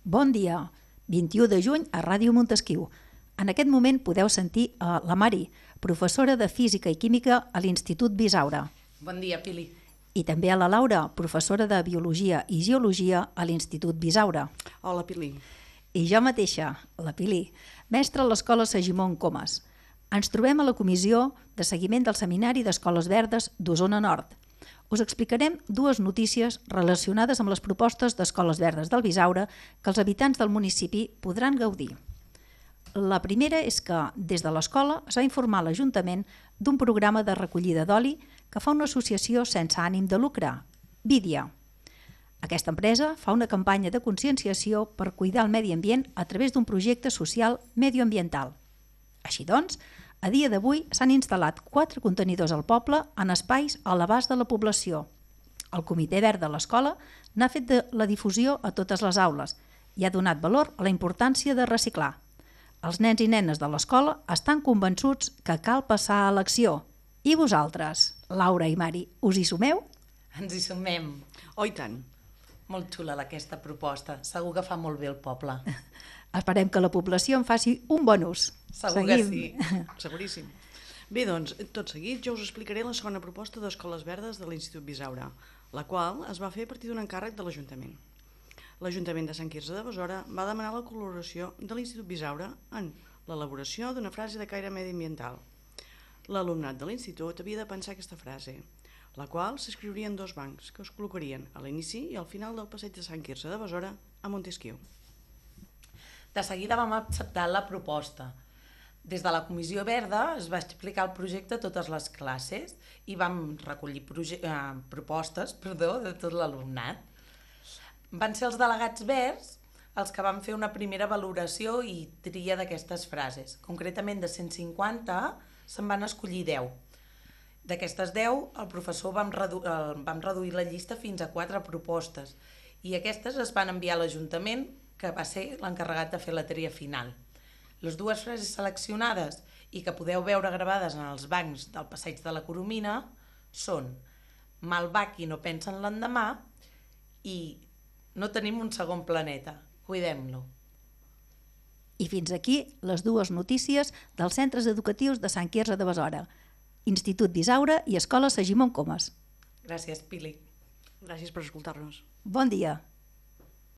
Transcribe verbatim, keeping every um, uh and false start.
Bon dia, vint-i-u de juny a Ràdio Montesquiu. En aquest moment podeu sentir a la Mari, professora de Física i Química a l'Institut Bisaura. Bon dia, Pili. I també a la Laura, professora de Biologia i Geologia a l'Institut Bisaura. Hola, Pili. I jo mateixa, la Pili, mestra a l'Escola Segimon Comas. Ens trobem a la Comissió de Seguiment del Seminari d'Escoles Verdes d'Osona Nord. Us explicarem dues notícies relacionades amb les propostes d'Escoles Verdes del Bisaura que els habitants del municipi podran gaudir. La primera és que, des de l'escola, s'ha informat l'Ajuntament d'un programa de recollida d'oli que fa una associació sense ànim de lucre, Vídia. Aquesta empresa fa una campanya de conscienciació per cuidar el medi ambient a través d'un projecte social medioambiental. Així doncs, a dia d'avui s'han instal·lat quatre contenidors al poble en espais a l'abast de la població. El Comitè Verd de l'escola n'ha fet de la difusió a totes les aules i ha donat valor a la importància de reciclar. Els nens i nenes de l'escola estan convençuts que cal passar a l'acció. I vosaltres, Laura i Mari, us hi sumeu? Ens hi sumem. Oh, i tant. Molt xula aquesta proposta. Segur que fa molt bé el poble. Esperem que la població en faci un bon ús. Segur que sí. Seguríssim. Bé, doncs, tot seguit jo us explicaré la segona proposta d'Escoles Verdes de l'Institut Bisaura, la qual es va fer a partir d'un encàrrec de l'Ajuntament. L'Ajuntament de Sant Quirze de Besora va demanar la col·laboració de l'Institut Bisaura en l'elaboració d'una frase de caire mediambiental. L'alumnat de l'institut havia de pensar aquesta frase, la qual s'escriuria en dos bancs que es col·locarien a l'inici i al final del passeig de Sant Quirze de Besora a Montesquiu. De seguida vam acceptar la proposta. Des de la Comissió Verda es va explicar el projecte a totes les classes i vam recollir eh, propostes perdó, de tot l'alumnat. Van ser els delegats verds els que van fer una primera valoració i tria d'aquestes frases. Concretament, de cent cinquanta se'n van escollir deu. D'aquestes deu, el professor vam, redu eh, vam reduir la llista fins a quatre propostes i aquestes es van enviar a l'Ajuntament, que va ser l'encarregat de fer la tria final. Les dues frases seleccionades i que podeu veure gravades en els bancs del passeig de la Coromina són "Mal va qui no pensa en l'endemà" i "No tenim un segon planeta, cuidem-lo". I fins aquí les dues notícies dels centres educatius de Sant Quirze de Besora, Institut Bisaura i Escola Segimon Comas. Gràcies, Pili. Gràcies per escoltar-nos. Bon dia.